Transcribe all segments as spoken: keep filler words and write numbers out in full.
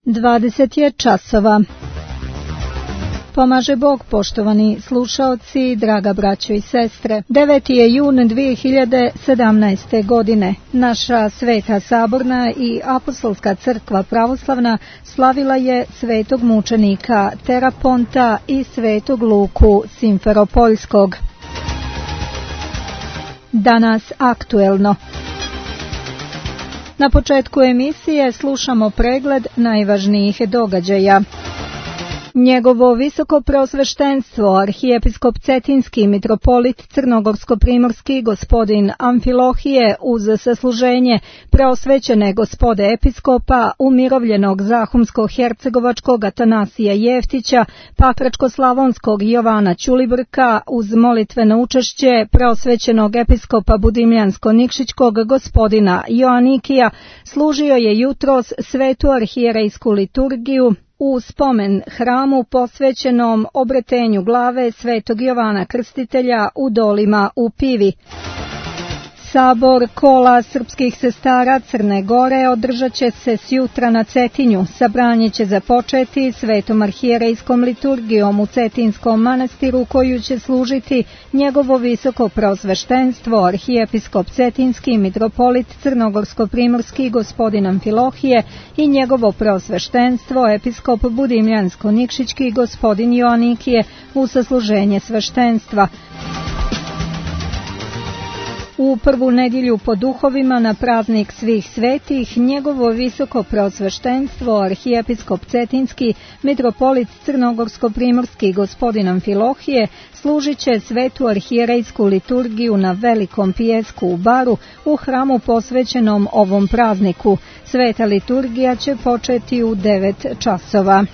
dvadeset je časova. Pomaže Bog, poštovani slušaoci, draga braćo i sestre. deveti je jun dvije hiljade sedamnaeste. godine. Naša Sveta Saborna i Apostolska crkva pravoslavna slavila je svetog mučenika Teraponta i svetog Luku Simferopoljskog. Danas aktuelno. Na početku emisije slušamo pregled najvažnijih događaja. Njegovo visoko preosveštenstvo, arhijepiskop Cetinski mitropolit Crnogorsko-primorski gospodin Amfilohije uz sasluženje preosvećene gospode episkopa umirovljenog Zahumsko-hercegovačkog Atanasija Jeftića, Pakračko-slavonskog Jovana Ćulibrka uz molitveno učešće preosvećenog episkopa Budimljansko-nikšićkog gospodina Joanikija služio je jutros svetu arhijerejsku liturgiju u spomen hramu posvećenom obretenju glave svetog Jovana Krstitelja u Dolima u Pivi. Sabor kola srpskih sestara Crne Gore održat će se sjutra na Cetinju. Sabranje će započeti svetom arhijerejskom liturgijom u Cetinskom manastiru koju će služiti njegovo visoko preosveštenstvo arhijepiskop Cetinski mitropolit Crnogorsko-primorski gospodin Amfilohije i njegovo preosveštenstvo episkop Budimljansko-nikšićki gospodin Joanikije u sasluženje sveštenstva. U prvu nedjelju po duhovima na praznik svih svetih, njegovo visoko preosveštenstvo, arhijepiskop Cetinski, mitropolit Crnogorsko-primorski gospodin Amfilohije, služit će svetu arhijerejsku liturgiju na velikom pijesku u Baru u hramu posvećenom ovom prazniku. Sveta liturgija će početi u devet časova.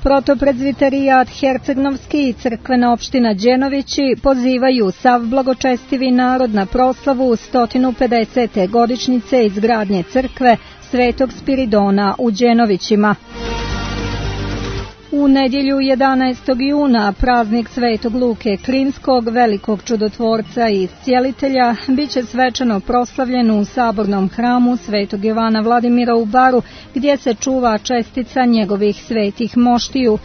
Protopredzviterijat Hercegnovski i crkvena opština Đenovići pozivaju sav blagočestivi narod na proslavu sto pedesete godišnjice izgradnje crkve Svetog Spiridona u Đenovićima. U nedjelju jedanaestog juna praznik svetog Luke Krimskog, velikog čudotvorca i iscijelitelja, bit će svečano proslavljen u sabornom hramu svetog Jovana Vladimira u Baru, gdje se čuva čestica njegovih svetih moštiju.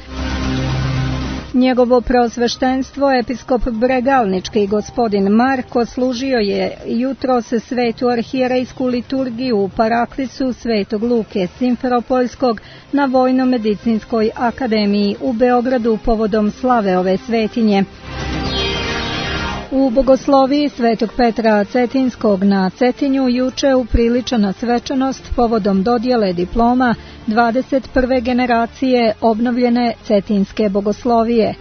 Njegovo preosveštenstvo, episkop Bregalnički gospodin Marko, služio je jutros svetu arhijerejsku liturgiju u Paraklisu svetog Luke Simferopoljskog na Vojno-medicinskoj akademiji u Beogradu povodom slave ove svetinje. U bogosloviji svetog Petra Cetinskog na Cetinju juče upriličena svečanost povodom dodjele diploma dvadeset prve generacije obnovljene Cetinske bogoslovije.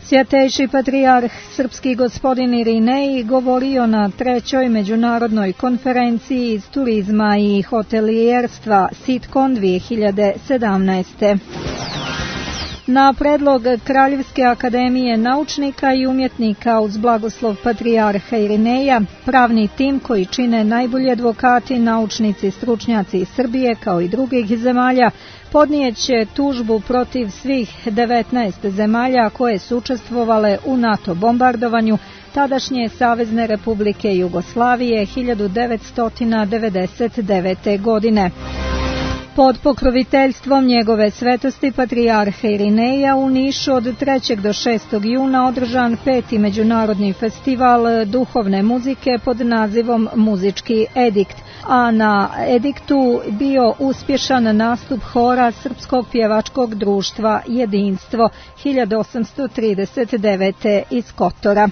Svjatejši patrijarh srpski gospodin Irinej govorio na trećoj međunarodnoj konferenciji iz turizma i hotelijerstva Sitkon dvije hiljade sedamnaeste. Na predlog Kraljevske akademije naučnika i umjetnika uz blagoslov patrijarha Irineja, pravni tim koji čine najbolji advokati, naučnici, stručnjaci iz Srbije kao i drugih zemalja, podnijet će tužbu protiv svih devetnaest zemalja koje su učestvovale u NATO bombardovanju tadašnje Savezne Republike Jugoslavije hiljadu devetsto devedeset devete. godine. Pod pokroviteljstvom njegove svetosti patrijarha Irineja u Nišu od trećeg do šestog juna održan peti međunarodni festival duhovne muzike pod nazivom Muzički edikt, a na ediktu bio uspješan nastup hora Srpskog pjevačkog društva Jedinstvo hiljadu osamsto trideset devete. iz Kotora.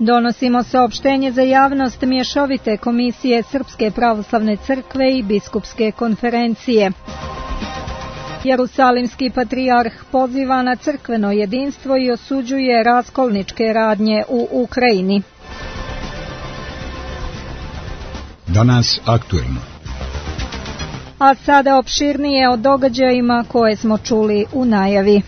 Donosimo saopštenje za javnost mješovite komisije Srpske pravoslavne crkve i biskupske konferencije. Jerusalimski patrijarh poziva na crkveno jedinstvo i osuđuje raskolničke radnje u Ukrajini. Danas aktuelno. A sada opširnije o događajima koje smo čuli u najavi.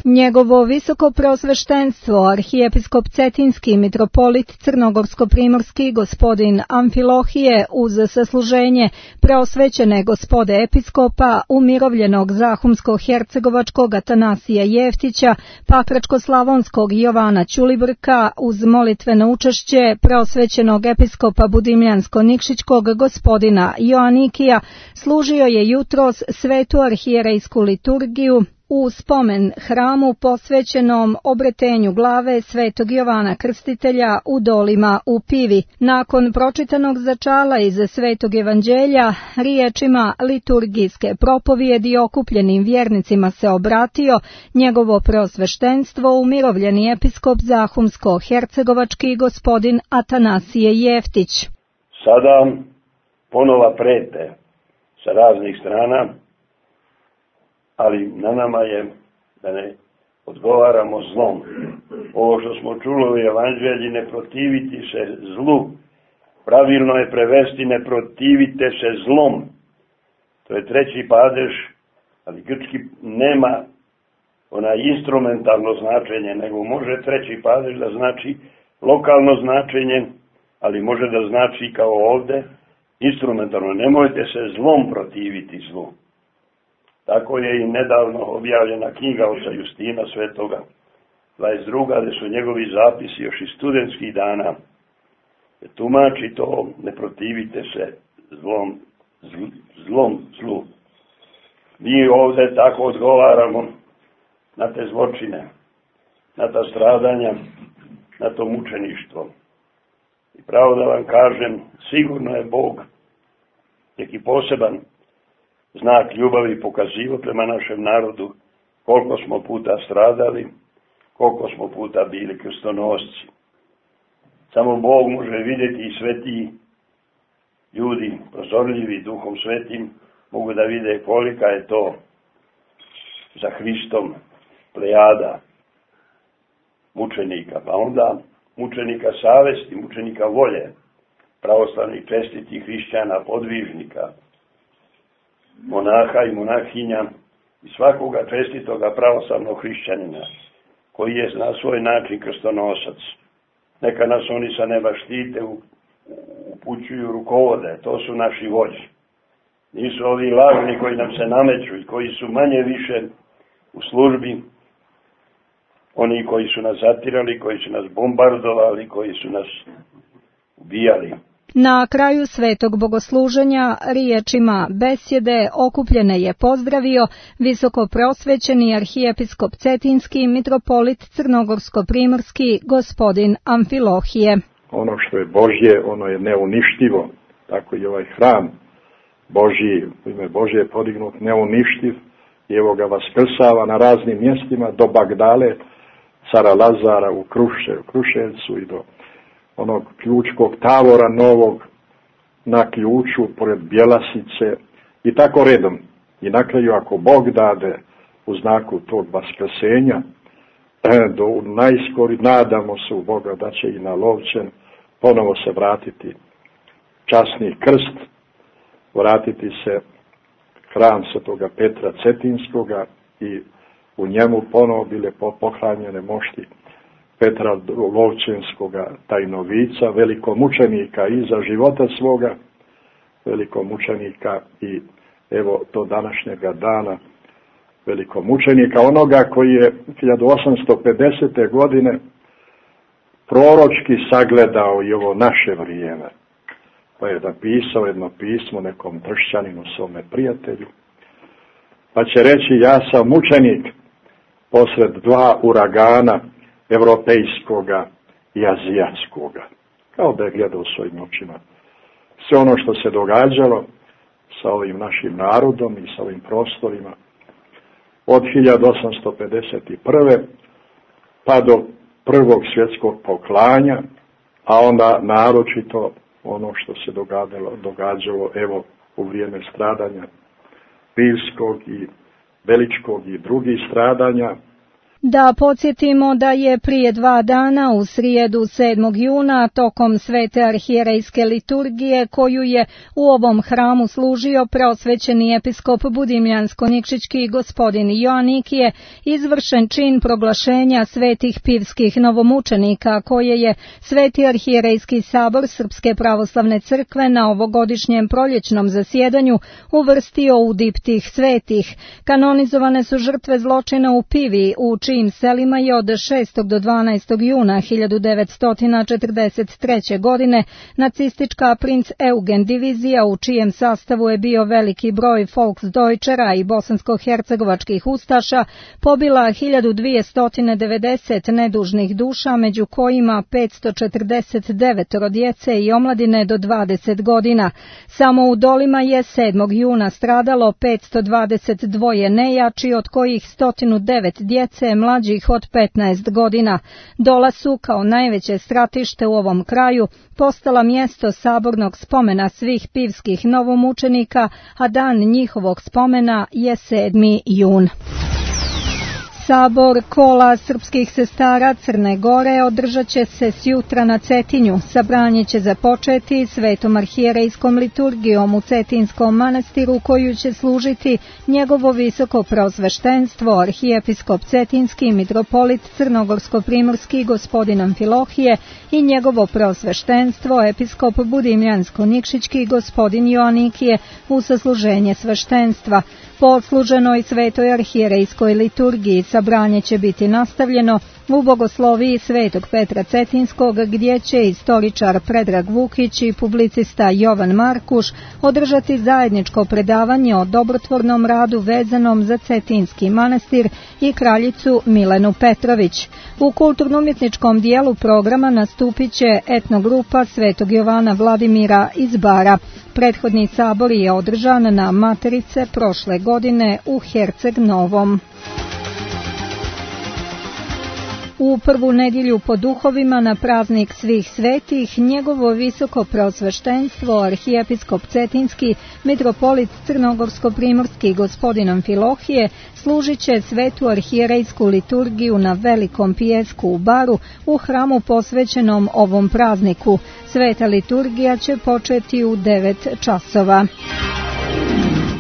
Njegovo visoko preosveštenstvo, arhijepiskop Cetinski mitropolit Crnogorsko-primorski gospodin Amfilohije, uz sasluženje preosvećene gospode episkopa umirovljenog Zahumsko-hercegovačkog Atanasija Jeftića, Pakračko-slavonskog Jovana Ćulibrka, uz molitveno učešće preosvećenog episkopa Budimljansko-nikšićkog gospodina Joanikija, služio je jutros svetu arhijerejsku liturgiju u spomen hramu posvećenom obretenju glave svetog Jovana Krstitelja u Dolima u Pivi. Nakon pročitanog začala iz svetog evanđelja, riječima liturgijske propovijedi okupljenim vjernicima se obratio njegovo preosveštenstvo umirovljeni episkop Zahumsko-hercegovački gospodin Atanasije Jeftić. Sada ponova prete sa raznih strana, ali na nama je da ne odgovaramo zlom. Ovo što smo čuli u evanđelji, ne protiviti se zlu, pravilno je prevesti ne protivite se zlom. To je treći padež, ali grčki nema onaj instrumentalno značenje, nego može treći padež da znači lokalno značenje, ali može da znači kao ovde instrumentalno. Nemojte se zlom protiviti zlu. Tako je i nedavno objavljena knjiga oca Justina Svetoga, dvadeset druga, gde su njegovi zapisi još iz studentskih dana. Tumači to, ne protivite se zlom, zl, zlom zlu. Mi ovde tako odgovaramo na te zločine, na ta stradanja, na to mučeništvo. I pravo da vam kažem, sigurno je Bog neki poseban znak ljubavi pokazivo prema našem narodu, koliko smo puta stradali, koliko smo puta bili krstonosci. Samo Bog može vidjeti i sveti ljudi, prozorljivi duhom svetim, mogu da vide kolika je to za Hristom plejada mučenika, pa onda mučenika savesti, mučenika volje, pravoslavnih čestitih hrišćana, podvižnika, monaha i monahinja i svakoga čestitoga pravoslavnog hrišćanina koji je na svoj način krstonosac. Neka nas oni sa neba štite, upućuju, rukovode, to su naši vođi. Nisu ovi lažni koji nam se nameću i koji su manje više u službi, oni koji su nas zatirali, koji su nas bombardovali, koji su nas ubijali. Na kraju svetog bogosluženja riječima besjede okupljene je pozdravio visoko preosvećeni arhijepiskop Cetinski mitropolit Crnogorsko-primorski gospodin Amfilohije. Ono što je Božje, ono je neuništivo, tako i ovaj hram Božji, u ime Božje je podignut neuništiv i evo ga vaskrsava na raznim mjestima do Bagdale, cara Lazara u Kruše, u Kruševcu i do onog ključkog tavora novog na ključu pored Bjelasice i tako redom. I na kraju ako Bog dade u znaku tog vaskrsenja, do najskori nadamo se u Boga da će i na Lovćen ponovo se vratiti časni krst, vratiti se hram svetoga Petra Cetinskoga i u njemu ponovo bile pohranjene mošti Petra Lovćenskoga tajnovica, velikomučenika i za života svoga, velikomučenika i evo do današnjega dana velikomučenika, onoga koji je hiljadu osamsto pedesete. godine proročki sagledao i ovo naše vrijeme. Pa je napisao jedno pismo nekom tršćaninu, svome prijatelju, pa će reći: ja sam mučenik posred dva uragana evropejskoga i azijatskoga. Kao da je gledao svojim očima sve ono što se događalo sa ovim našim narodom i sa ovim prostorima od hiljadu osamsto pedeset prve. pa do prvog svjetskog poklanja, a onda naročito ono što se događalo, događalo evo u vrijeme stradanja Pivskog i Veličkog i drugih stradanja. Da podsjetimo da je prije dva dana u srijedu sedmog juna tokom svete arhijerejske liturgije koju je u ovom hramu služio preosvećeni episkop budimljansko-nikšićki gospodin Joanikije izvršen čin proglašenja svetih pivskih novomučenika koje je Sveti arhijerejski sabor Srpske pravoslavne crkve na ovogodišnjem proljećnom zasjedanju uvrstio u diptih svetih. Kanonizovane su žrtve zločina u Pivi u čijim selima je od šestog do dvanaestog juna hiljadu devetsto četrdeset treće. godine nacistička princ Eugen divizija u čijem sastavu je bio veliki broj Volksdeutschera i bosansko-hercegovačkih ustaša pobila hiljadu dvjesto devedeset nedužnih duša, među kojima petsto četrdeset devet djece i omladine do dvadeset godina. Samo u Dolima je sedmog juna stradalo petsto dvadeset dva nejači, od kojih sto devet djece mlađih od petnaest godina. Dola su, kao najveće stratište u ovom kraju, postala mjesto sabornog spomena svih pivskih novomučenika, a dan njihovog spomena je sedmi jun. Sabor kola srpskih sestara Crne Gore održat će se sjutra na Cetinju. Sabranje će započeti svetom arhijerejskom liturgijom u Cetinskom manastiru koju će služiti njegovo visoko preosveštenstvo, arhijepiskop Cetinski, mitropolit Crnogorsko-primorski gospodin Amfilohije i njegovo preosveštenstvo, episkop Budimljansko-nikšićki gospodin Joanikije u sasluženje sveštenstva. Po odsluženoj svetoj arhijerejskoj liturgiji sabranje će biti nastavljeno u bogosloviji svetog Petra Cetinskog, gdje će istoričar Predrag Vukić i publicista Jovan Markuš održati zajedničko predavanje o dobrotvornom radu vezanom za Cetinski manastir i kraljicu Milenu Petrović. U kulturno-umjetničkom dijelu programa nastupit će etnogrupa Svetog Jovana Vladimira iz Bara. Prethodni sabor je održan na Materice prošle godine u Herceg Novom. U prvu nedjelju po duhovima na praznik svih svetih, njegovo visoko preosveštenstvo, arhijepiskop Cetinski, mitropolit Crnogorsko-primorski gospodin Amfilohije, služit će svetu arhijerejsku liturgiju na Velikom pijesku u Baru u hramu posvećenom ovom prazniku. Sveta liturgija će početi u devet časova.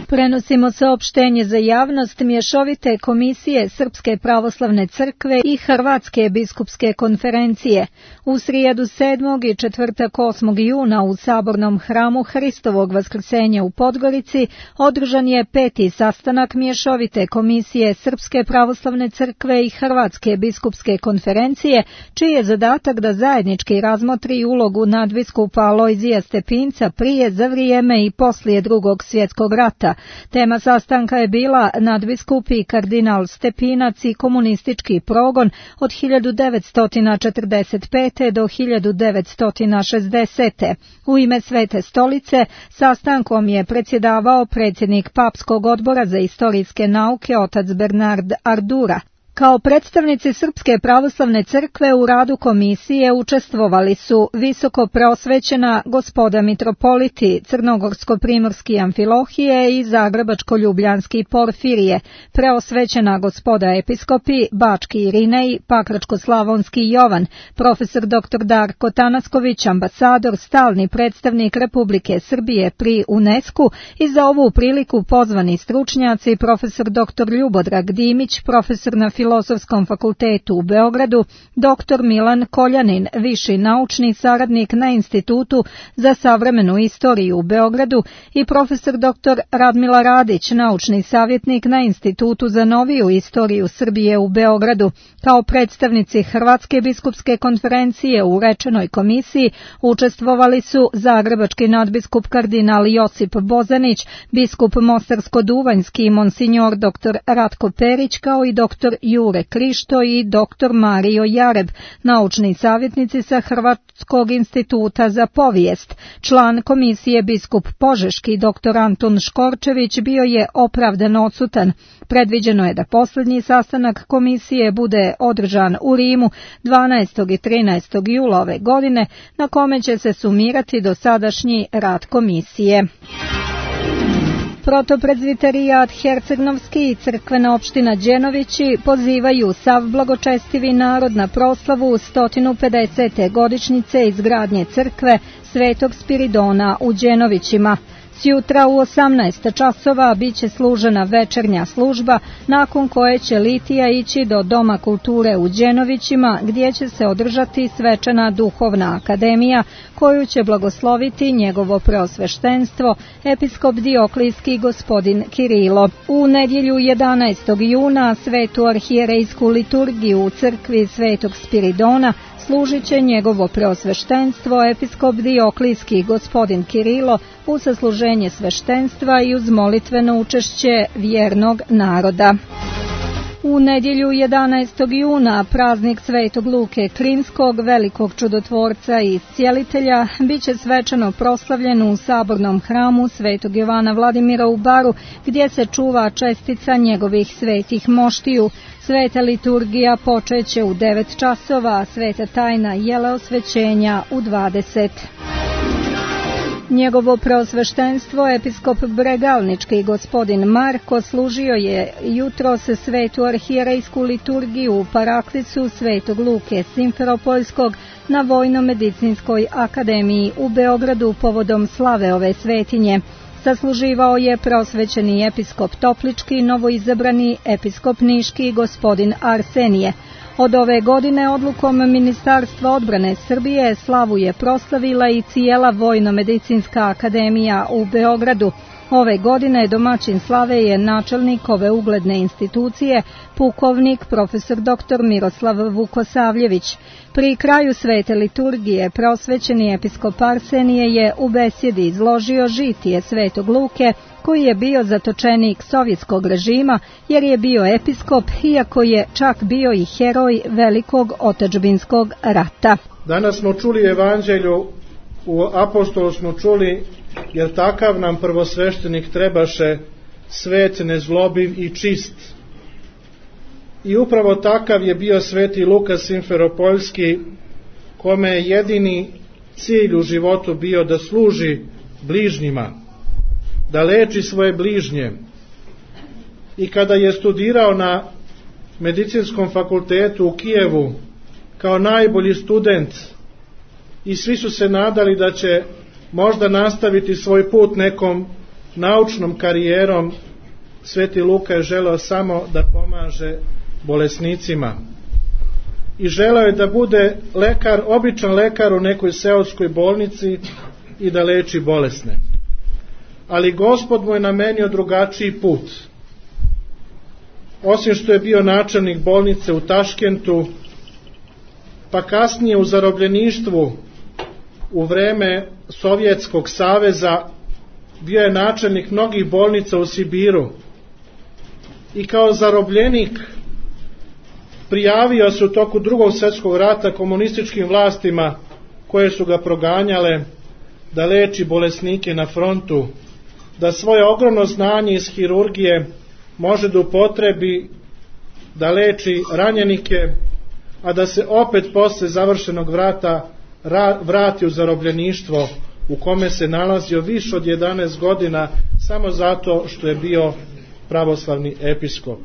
Prenosimo saopštenje za javnost Mješovite komisije Srpske pravoslavne crkve i Hrvatske biskupske konferencije. U srijedu sedmog i četvrtak osmog juna u sabornom hramu Hristovog vaskrsenja u Podgorici održan je peti sastanak Mješovite komisije Srpske pravoslavne crkve i Hrvatske biskupske konferencije, čiji je zadatak da zajednički razmotri ulogu nadbiskupa Alojzija Stepinca prije, za vrijeme i poslije Drugog svjetskog rata. Tema sastanka je bila nadbiskup i kardinal Stepinac i komunistički progon od hiljadu devetsto četrdeset pete. do hiljadu devetsto šezdesete. U ime Svete stolice sastankom je predsjedavao predsjednik Papskog odbora za istorijske nauke otac Bernard Ardura. Kao predstavnici Srpske pravoslavne crkve u radu komisije učestvovali su visoko preosvećena gospoda mitropoliti Crnogorsko-primorski Amfilohije i Zagrebačko-ljubljanski Porfirije, preosvećena gospoda episkopi Bački Irinej, Pakračko-slavonski Jovan, profesor doktor Darko Tanasković, ambasador, stalni predstavnik Republike Srbije pri UNESCO i za ovu priliku pozvani stručnjaci profesor doktor Ljubodrag Dimić, profesor na Filozofskom fakultetu u Beogradu, doktor Milan Koljanin, viši naučni saradnik na Institutu za savremenu istoriju u Beogradu i profesor doktor Radmila Radić, naučni savjetnik na Institutu za noviju istoriju Srbije u Beogradu. Kao predstavnici Hrvatske biskupske konferencije u rečenoj komisiji učestvovali su zagrebački nadbiskup kardinal Josip Bozanić, biskup Mostarsko-duvanjski monsignor doktor Ratko Perić, kao i doktor Jure Krišto i doktor Mario Jareb, naučni savjetnici sa Hrvatskog instituta za povijest. Član komisije biskup Požeški doktor Anton Škorčević bio je opravdano odsutan. Predviđeno je da posljednji sastanak komisije bude održan u Rimu dvanaestog i trinaestog jula ove godine, na kome će se sumirati dosadašnji rad komisije. Protoprezviterijat Hercegnovski i crkvena opština Đenovići pozivaju sav blagočestivi narod na proslavu sto pedesete godišnjice izgradnje crkve Svetog Spiridona u Đenovićima. Sjutra u osamnaest časova biće služena večernja služba, nakon koje će litija ići do Doma kulture u Đenovićima, gdje će se održati svečana duhovna akademija, koju će blagosloviti njegovo preosveštenstvo, episkop Dioklijski gospodin Kirilo. U nedjelju jedanaestog juna svetu arhijerejsku liturgiju u crkvi Svetog Spiridona služit će njegovo preosveštenstvo, episkop Dioklijski gospodin Kirilo, u sasluženje sveštenstva i uz molitveno učešće vjernog naroda. U nedjelju jedanaestog juna praznik Svetog Luke Krinskog, velikog čudotvorca i iscijelitelja, bit će svečano proslavljen u sabornom hramu Svetog Jovana Vladimira u Baru, gdje se čuva čestica njegovih svetih moštiju. Sveta liturgija počeće u devet časova, a sveta tajna jeleosvećenja u dvadeset. Njegovo preosveštenstvo, episkop Bregalnički gospodin Marko, služio je jutros svetu arhijerejsku liturgiju u paraklisu Svetog Luke Simferopoljskog na Vojno-medicinskoj akademiji u Beogradu povodom slave ove svetinje. Sasluživao je preosvećeni episkop Toplički, novoizabrani episkop Niški gospodin Arsenije. Od ove godine odlukom Ministarstva odbrane Srbije slavu je proslavila i cijela Vojno-medicinska akademija u Beogradu. Ove godine domaćin slave je načelnik ove ugledne institucije, pukovnik profesor doktor Miroslav Vukosavljević. Pri kraju svete liturgije preosvećeni episkop Arsenije je u besjedi izložio žitije Svetog Luke, koji je bio zatočenik sovjetskog režima jer je bio episkop, iako je čak bio i heroj velikog otadžbinskog rata. Danas smo čuli evanđelju, u apostolu smo čuli, jer takav nam prvosveštenik trebaše, svet, nezlobiv i čist. I upravo takav je bio sveti Luka Simferopoljski, kome je jedini cilj u životu bio da služi bližnjima, da leči svoje bližnje. I kada je studirao na medicinskom fakultetu u Kijevu kao najbolji student, i svi su se nadali da će možda nastaviti svoj put nekom naučnom karijerom, sveti Luka je želeo samo da pomaže bolesnicima. I želeo je da bude lekar, običan lekar u nekoj seoskoj bolnici i da leči bolesne. Ali Gospod mu je namenio drugačiji put. Osim što je bio načelnik bolnice u Taškentu, pa kasnije u zarobljeništvu u vreme Sovjetskog saveza, bio je načelnik mnogih bolnica u Sibiru i kao zarobljenik prijavio se u toku Drugog svjetskog rata komunističkim vlastima koje su ga proganjale da leči bolesnike na frontu, da svoje ogromno znanje iz hirurgije može da upotrebi da leči ranjenike, a da se opet posle završenog vrata vrati u zarobljeništvo u kome se nalazio više od jedanaest godina samo zato što je bio pravoslavni episkop.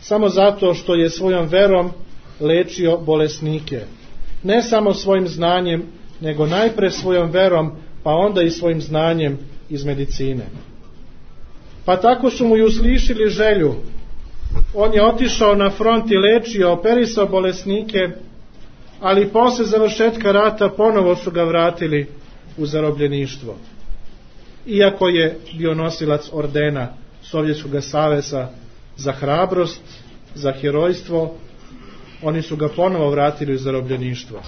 Samo zato što je svojom verom lečio bolesnike. Ne samo svojim znanjem, nego najpre svojom verom, pa onda i svojim znanjem iz medicine. Pa tako su mu i uslišili želju. On je otišao na front i lečio, operisao bolesnike, ali posle završetka rata ponovo su ga vratili u zarobljeništvo. Iako je bio nosilac ordena Sovjetskog saveza za hrabrost, za herojstvo, oni su ga ponovo vratili u zarobljeništvo.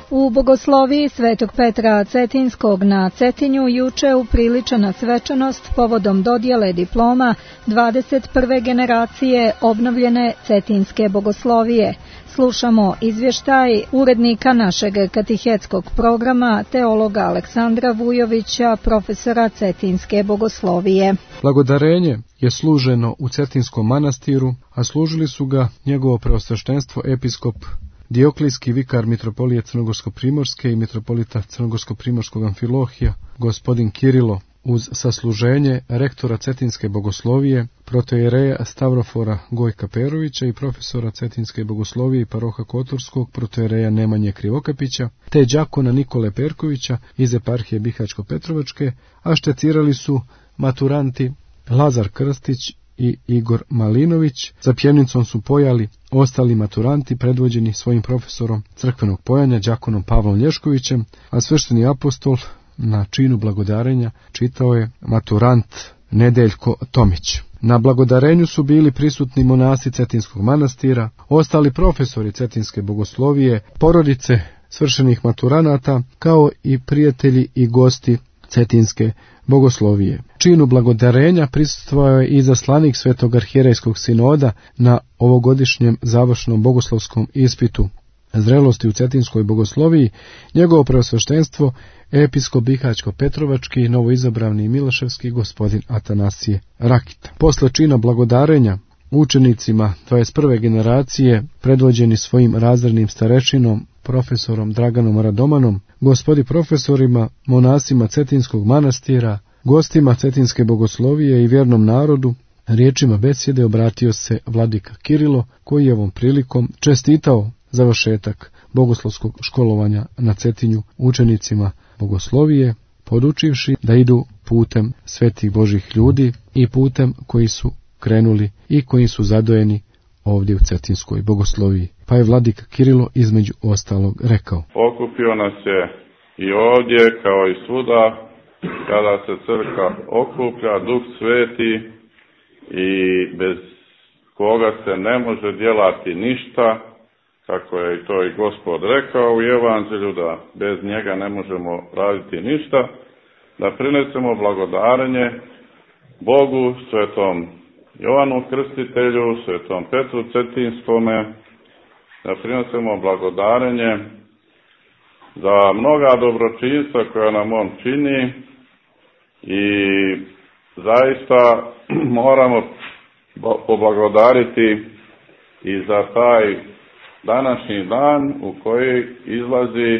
U bogosloviji Svetog Petra Cetinskog na Cetinju juče upriličena svečanost povodom dodjele diploma dvadeset prve generacije obnovljene Cetinske bogoslovije. Slušamo izvještaj urednika našeg katehetskog programa, teologa Aleksandra Vujovića, profesora Cetinske bogoslovije. Blagodarenje je služeno u Cetinskom manastiru, a služili su ga njegovo preosveštenstvo episkop Dioklijski vikar mitropolije Crnogorsko-primorske i mitropolita Crnogorsko-primorskog Amfilohija, gospodin Kirilo, uz sasluženje rektora Cetinske bogoslovije, protojereja Stavrofora Gojka Perovića i profesora Cetinske bogoslovije i paroha Kotorskog protojereja Nemanje Krivokapića, te đakona Nikole Perkovića iz eparhije Bihačko-Petrovačke, a štecirali su maturanti Lazar Krstić i Igor Malinović. Za pjevnicom su pojali ostali maturanti predvođeni svojim profesorom crkvenog pojanja đakonom Pavlom Lješkovićem, a svešteni apostol na činu blagodarenja čitao je maturant Nedeljko Tomić. Na blagodarenju su bili prisutni monasi Cetinskog manastira, ostali profesori Cetinske bogoslovije, porodice svršenih maturanata, kao i prijatelji i gosti Cetinske bogoslovije. Činu blagodarenja prisustvovao je i zaslanik Svetog arhijerejskog sinoda na ovogodišnjem završnom bogoslovskom ispitu zrelosti u Cetinskoj bogosloviji, njegovo preosveštenstvo episkop Bihačko-Petrovački novoizabrani Miloševski gospodin Atanasije Rakita. Posle čina blagodarenja učenicima dvadeset prve generacije, predvođeni svojim razrednim starešinom, profesorom Draganom Radomanom, gospodi profesorima, monasima Cetinskog manastira, gostima Cetinske bogoslovije i vjernom narodu, riječima besjede obratio se vladika Kirilo, koji je ovom prilikom čestitao završetak bogoslovskog školovanja na Cetinju učenicima bogoslovije, podučivši da idu putem svetih Božih ljudi i putem koji su krenuli i koji su zadojeni ovdje u Cetinskoj bogosloviji. Pa je vladika Kirilo između ostalog rekao: Okupio nas je i ovdje kao i svuda kada se crkva okuplja, Duh Sveti, i bez koga se ne može djelati ništa, kako je i to i Gospod rekao u Evanđelju, da bez njega ne možemo raditi ništa, da prinesemo blagodarenje Bogu, svetom Jovanu Krstitelju, svetom Petru Cetinskome, da prinesemo blagodarenje za mnoga dobročinstva koja nam on čini i zaista moramo poblagodariti i za taj današnji dan u koji izlazi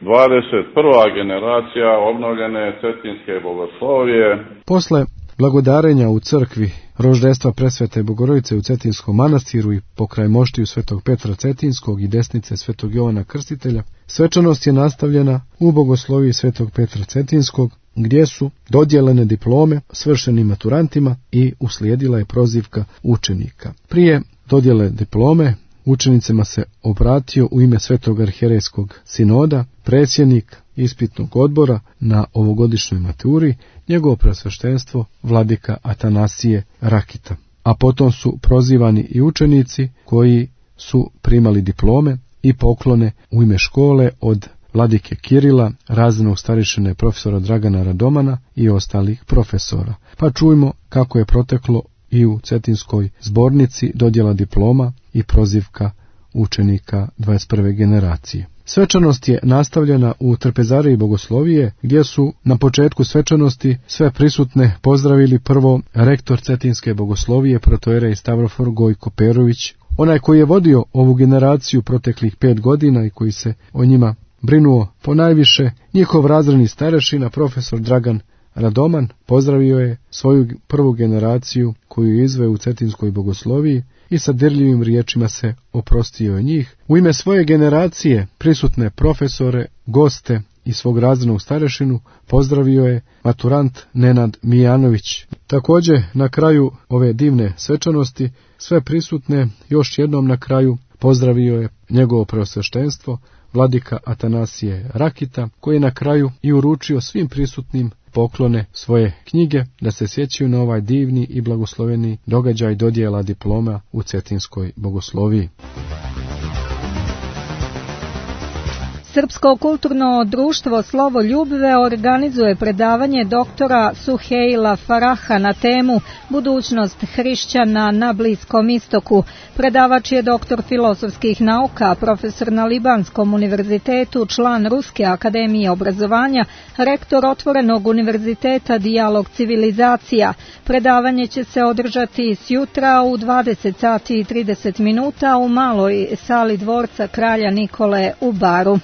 dvadeset prva generacija obnovljene Cetinske bogoslovije. Posle blagodarenja u crkvi Roždestva Presvete Bogorodice u Cetinskom manastiru i pokraj moštiju Svetog Petra Cetinskog i desnice Svetog Jovana Krstitelja, svečanost je nastavljena u bogosloviji Svetog Petra Cetinskog, gdje su dodijeljene diplome svršenim maturantima i uslijedila je prozivka učenika. Prije dodjele diplome učenicima se obratio u ime Svetog arhijerejskog sinoda predsjednik ispitnog odbora na ovogodišnjoj maturi, njegovo preosveštenstvo vladika Atanasije Rakita. A potom su prozivani i učenici koji su primali diplome i poklone u ime škole od vladike Kirila, razrednog starešine profesora Dragana Radomana i ostalih profesora. Pa čujmo kako je proteklo i u Cetinskoj zbornici dodjela diploma i prozivka učenika dvadeset prve generacije. Svečanost je nastavljena u trpezariji bogoslovije, gdje su na početku svečanosti sve prisutne pozdravili prvo rektor Cetinske bogoslovije protojerej Stavrofor Gojko Perović, onaj koji je vodio ovu generaciju proteklih pet godina i koji se o njima brinuo ponajviše. Njihov razredni starešina profesor Dragan Radoman pozdravio je svoju prvu generaciju koju je izveo u Cetinskoj bogosloviji i sa dirljivim riječima se oprostio od njih. U ime svoje generacije prisutne profesore, goste i svog razrednog starešinu pozdravio je maturant Nenad Mijanović. Također na kraju ove divne svečanosti sve prisutne još jednom na kraju pozdravio je njegovo preosveštenstvo vladika Atanasije Rakita, koji je na kraju i uručio svim prisutnim poklone svoje knjige da se sjećaju na ovaj divni i blagosloveni događaj dodjela diploma u Cetinskoj bogosloviji. Srpsko kulturno društvo Slovo Ljubve organizuje predavanje doktora Suhejla Faraha na temu Budućnost hrišćana na Bliskom istoku. Predavač je doktor filozofskih nauka, profesor na Libanskom univerzitetu, član Ruske akademije obrazovanja, rektor Otvorenog univerziteta Dijalog civilizacija. Predavanje će se održati sjutra u dvadeset sati i trideset minuta u maloj sali dvorca kralja Nikole u Baru.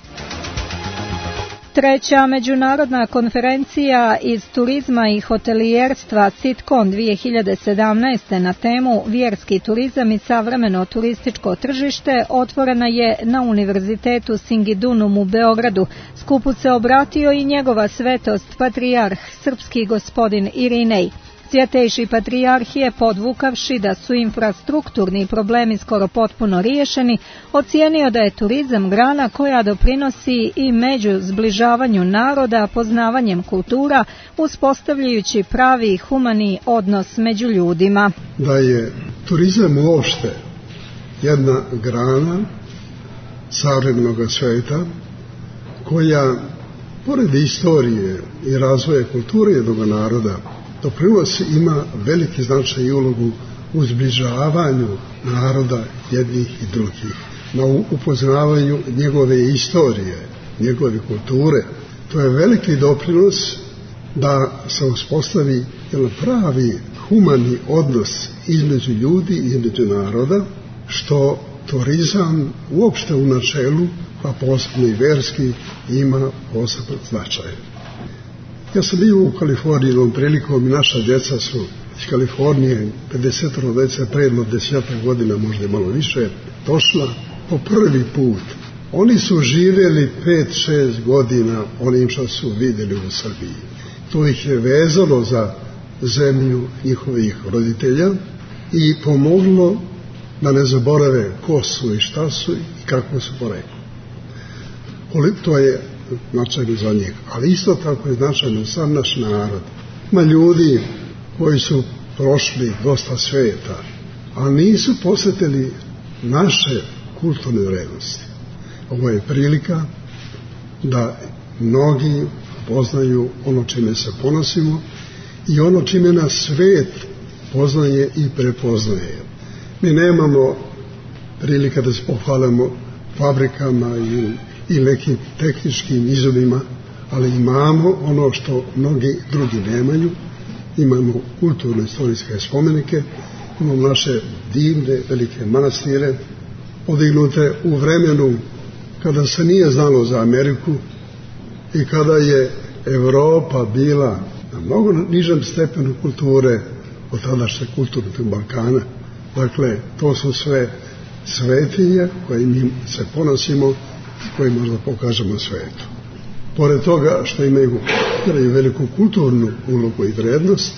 Treća međunarodna konferencija iz turizma i hotelijerstva SITKON dvije hiljade sedamnaeste na temu Vjerski turizam i savremeno turističko tržište otvorena je na Univerzitetu Singidunum u Beogradu. Skupu se obratio i njegova svetost patrijarh srpski gospodin Irinej. Svjetejši patrijarh je, podvukavši da su infrastrukturni problemi skoro potpuno riješeni, ocijenio da je turizam grana koja doprinosi i među zbližavanju naroda, poznavanjem kultura, uspostavljajući pravi humani odnos među ljudima. Da je turizam uopšte jedna grana savremenog sveta koja, pored istorije i razvoja kulture jednog naroda, doprinos ima veliki značaj i ulogu u zbližavanju naroda jednih i drugih, na upoznavanju njegove istorije, njegove kulture. To je veliki doprinos da se uspostavi jedan pravi humani odnos između ljudi i između naroda, što turizam uopšte u načelu, pa posebno i verski, ima poseban značaj. Ja sam bio u Kaliforniji jednom prilikom i naša djeca su iz Kalifornije, pedeset djece predno desetak godina, možda malo više, došla po prvi put. Oni su živjeli pet šest godina onim što su vidjeli u Srbiji. To ih je vezalo za zemlju njihovih roditelja i pomoglo da ne zaborave ko su i šta su i kako su porekli. To je značajno za njih, ali isto tako je značajno sam naš narod. Ima ljudi koji su prošli dosta sveta, a nisu posjetili naše kulturne vrednosti. Ovo je prilika da mnogi poznaju ono čime se ponosimo i ono čime nas svet poznaje i prepoznaje. Mi nemamo prilika da se pohvalimo fabrikama i i nekim tehničkim izumima, ali imamo ono što mnogi drugi nemaju. Imamo kulturno-istorijske spomenike, imamo naše divne, velike manastire, podignute u vremenu kada se nije znalo za Ameriku i kada je Evropa bila na mnogo nižem stepenu kulture od tadašnje kulturnog Balkana. Dakle, to su sve svetinje koje mi se ponosimo i koje možda pokažemo svijetu. Pored toga što imaju, imaju veliku kulturnu ulogu i vrednost,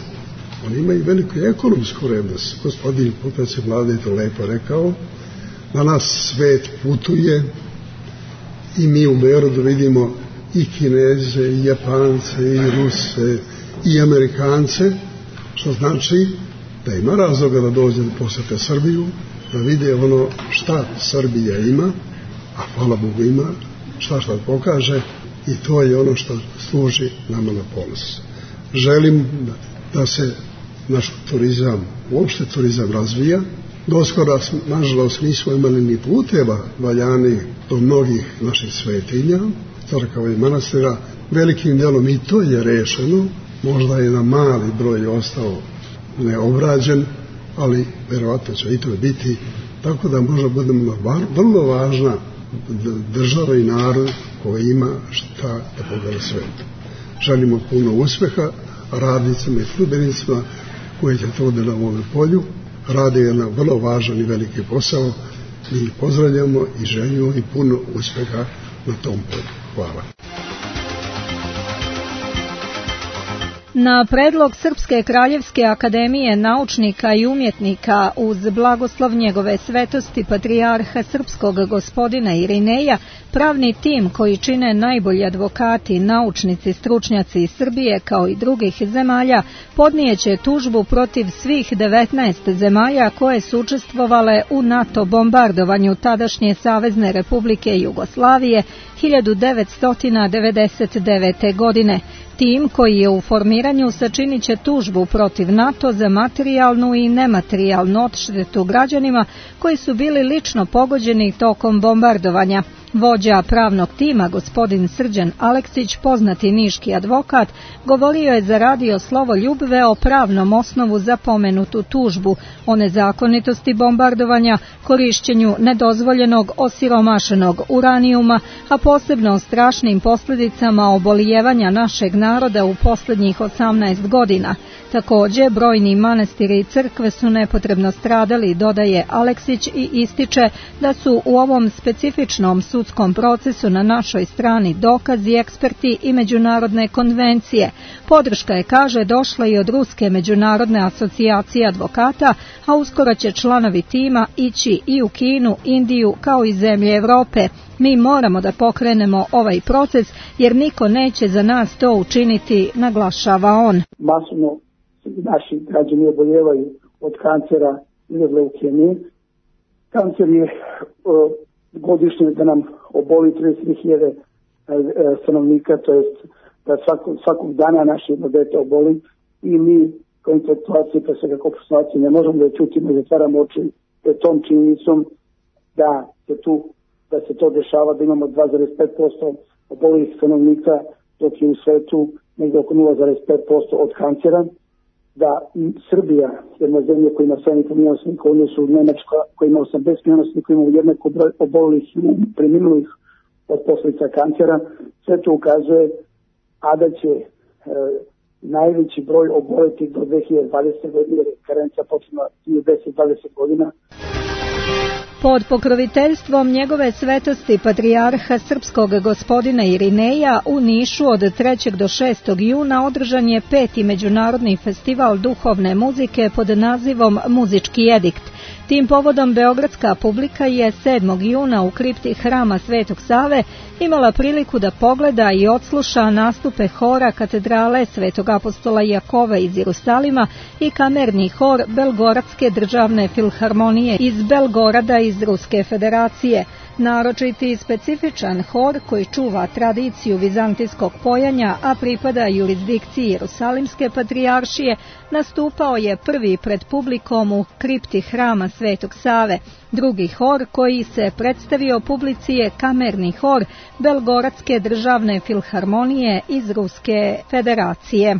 oni imaju veliku ekonomsku vrednost. Gospodin potpredsjednik Vlade je to lepo rekao. Danas svet putuje i mi u Beogradu vidimo i Kineze, i Japance, i Ruse, i Amerikance, što znači da ima razloga da dođe da posjete Srbiju, da vide ono šta Srbija ima, a hvala Bogu ima, šta šta pokaže, i to je ono što služi nama na ponos. Želim da se naš turizam, uopšte turizam razvija. Doskora, nažalost, nismo imali ni puteva valjani do mnogih naših svetinja, crkava i manastira. Velikim dijelom i to je rešeno, možda je na mali broj ostao neobrađen, ali verovatno će i to biti, tako da možda budemo vrlo važna država i narod koji ima šta da pogleda svijetu. Želimo puno uspjeha radnicama i službenicima koji će to da na ovom polju rade jedan vrlo važan i veliki posao. Mi ih pozdravljamo i želimo i puno uspjeha na tom polju. Hvala. Na predlog Srpske kraljevske akademije naučnika i umjetnika uz blagoslov njegove svetosti patrijarha srpskog gospodina Irineja, pravni tim koji čine najbolji advokati, naučnici, stručnjaci iz Srbije kao i drugih zemalja podnijeće tužbu protiv svih devetnaest zemalja koje su učestvovale u NATO bombardovanju tadašnje Savezne Republike Jugoslavije hiljadu devetsto devedeset devete. godine. Tim koji je u formiranju sačinit će tužbu protiv NATO za materijalnu i nematerijalnu odštetu građanima koji su bili lično pogođeni tokom bombardovanja. Vođa pravnog tima, gospodin Srđan Aleksić, poznati niški advokat, govorio je za radio Slovoljubve o pravnom osnovu za pomenutu tužbu, o nezakonitosti bombardovanja, korišćenju nedozvoljenog osiromašenog uranijuma, a posebno o strašnim posljedicama obolijevanja našeg naroda u posljednjih osamnaest godina. Također, brojni manastiri i crkve su nepotrebno stradali, dodaje Aleksić i ističe da su u ovom specifičnom sudskom procesu na našoj strani dokazi, eksperti i međunarodne konvencije. Podrška je, kaže, došla i od Ruske međunarodne asocijacije advokata, a uskoro će članovi tima ići i u Kinu, Indiju kao i zemlje Europe. Mi moramo da pokrenemo ovaj proces jer niko neće za nas to učiniti, naglašava on. Masovno naši građani oboljevaju od kancera i od leukemije. Kancer je uh, godišnje da nam oboli trideset tri hiljade stanovnika, to jest da svako, svakog dana naše jedno dete oboli i mi kao intelektualci, pre svega kao profesionalci, ne možemo da čutimo i zatvaramo oči tom činjenicom da se tu da se to dešava, da imamo dva zarez pet posto obolelih stanovnika, dok je u svetu negdje oko nula zarez pet posto od kancera, da Srbija, jedna zemlja koja ima sedam i po miliona stanovnika, odnosno Nemačka koja ima osamdeset miliona stanovnika, ima jednako broj obolelih i preminulih od posljedica kancera, sve to ukazuje, a da će e, najveći broj oboleti do dve hiljade dvadesete godine, karenca počinja deset do dvadeset godina. Pod pokroviteljstvom njegove svetosti patrijarha srpskog gospodina Irineja u Nišu od trećeg do šestog juna održan je peti međunarodni festival duhovne muzike pod nazivom Muzički edikt. Tim povodom beogradska publika je sedmog juna u kripti Hrama Svetog Save imala priliku da pogleda i odsluša nastupe hora katedrale Svetog apostola Jakova iz Jerusalima i kamerni hor Belgoradske državne filharmonije iz Belgorada iz Ruske federacije. Naročiti i specifičan hor koji čuva tradiciju vizantijskog pojanja, a pripada jurisdikciji Jerusalimske patrijaršije, nastupao je prvi pred publikom u kripti Hrama Svetog Save. Drugi hor koji se predstavio publici je kamerni hor Belgoradske državne filharmonije iz Ruske federacije.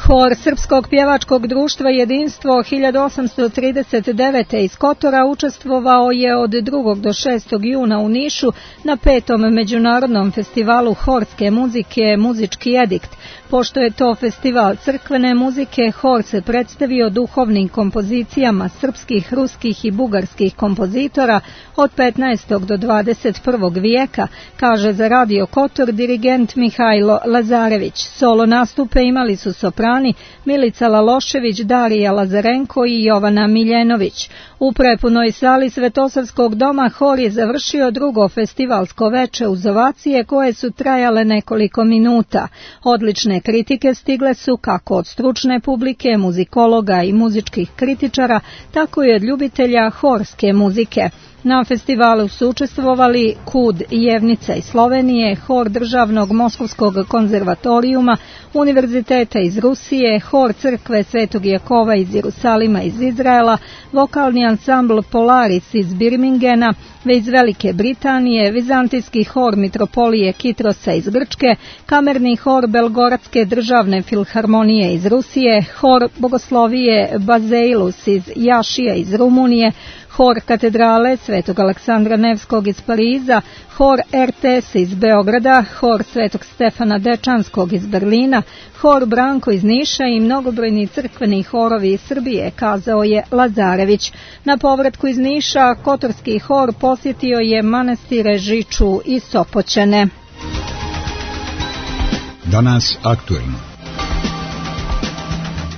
Hor Srpskog pjevačkog društva Jedinstvo hiljadu osamsto trideset devete iz Kotora učestvovao je od drugog do šestog juna u Nišu na petom međunarodnom festivalu horske muzike Muzički edikt. Pošto je to festival crkvene muzike, hor se predstavio duhovnim kompozicijama srpskih, ruskih i bugarskih kompozitora od petnaestog do dvadeset prvog vijeka, kaže za Radio Kotor dirigent Mihajlo Lazarević. Solo nastupe imali su soprani Milica Lalošević, Darija Lazarenko i Jovana Miljenović. U prepunoj sali Svetosavskog doma hor je završio drugo festivalsko veče uz ovacije koje su trajale nekoliko minuta. Odlične kritike stigle su kako od stručne publike, muzikologa i muzičkih kritičara, tako i od ljubitelja horske muzike. Na festivalu su učestvovali Kud Jevnica iz Slovenije, hor Državnog Moskovskog konzervatorijuma, univerziteta iz Rusije, hor Crkve Svetog Jakova iz Jerusalima iz Izraela, vokalni ansambl Polaris iz Birmingena, iz Velike Britanije, vizantijski hor Mitropolije Kitrosa iz Grčke, kamerni hor Belgoradske državne filharmonije iz Rusije, hor Bogoslovije Bazeilus iz Jašija iz Rumunije, hor katedrale Svetog Aleksandra Nevskog iz Pariza, hor R T S iz Beograda, hor Svetog Stefana Dečanskog iz Berlina, hor Branko iz Niša i mnogobrojni crkveni horovi iz Srbije, kazao je Lazarević. Na povratku iz Niša kotorski hor posjetio je manastire Žiču i Sopoćane. Danas aktuelno.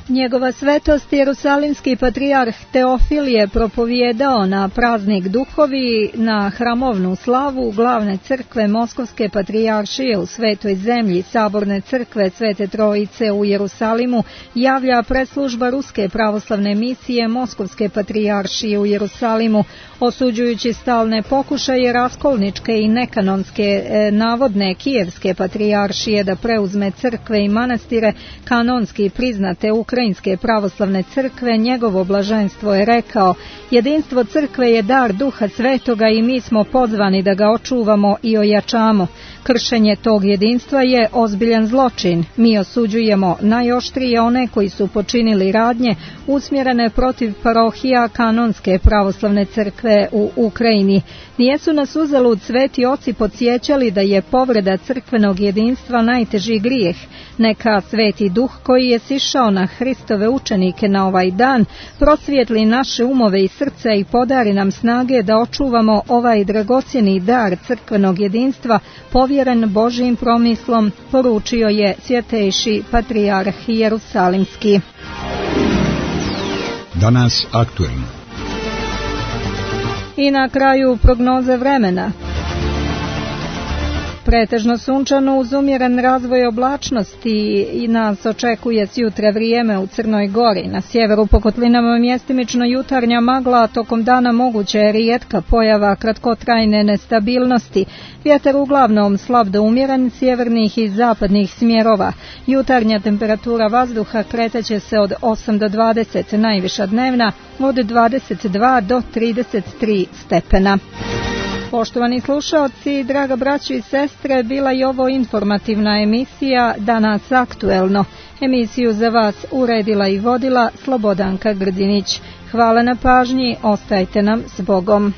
Njegova svetost Jerusalimski patrijarh Teofil je propovijedao na praznik duhovi na hramovnu slavu glavne crkve Moskovske patrijaršije u Svetoj zemlji, saborne crkve Svete Trojice u Jerusalimu, javlja preslužba Ruske pravoslavne misije Moskovske patrijaršije u Jerusalimu, osuđujući stalne pokušaje raskolničke i nekanonske e, navodne Kijevske patrijaršije da preuzme crkve i manastire kanonski priznate Ukrajinske Ukrajinske pravoslavne crkve, njegovo blaženstvo je rekao: jedinstvo crkve je dar Duha Svetoga i mi smo pozvani da ga očuvamo i ojačamo. Kršenje tog jedinstva je ozbiljan zločin. Mi osuđujemo najoštrije one koji su počinili radnje usmjerene protiv parohija Kanonske pravoslavne crkve u Ukrajini. Nijesu nas uzalud sveti oci podsjećali da je povreda crkvenog jedinstva najteži grijeh. Neka Sveti Duh koji je sišao na Hristove učenike na ovaj dan prosvijetli naše umove i srca i podari nam snage da očuvamo ovaj dragocjeni dar crkvenog jedinstva povjeren Božijim promislom, poručio je svjetejši patrijarh Jerusalimski. Danas aktuelno. I na kraju prognoze vremena. Pretežno sunčano uz umjeren razvoj oblačnosti i nas očekuje sjutra vrijeme u Crnoj Gori. Na sjeveru po kotlinama mjestimično jutarnja magla, tokom dana moguća je rijetka pojava kratkotrajne nestabilnosti. Vjetar uglavnom slab do umjeren sjevernih i zapadnih smjerova. Jutarnja temperatura vazduha kretaće se od osam do dvadeset, najviša dnevna od dvadeset dva do trideset tri stepena. Poštovani slušaoci, draga braćo i sestre, bila je ovo informativna emisija Danas aktuelno. Emisiju za vas uredila i vodila Slobodanka Grdinić. Hvala na pažnji, ostajte nam s Bogom.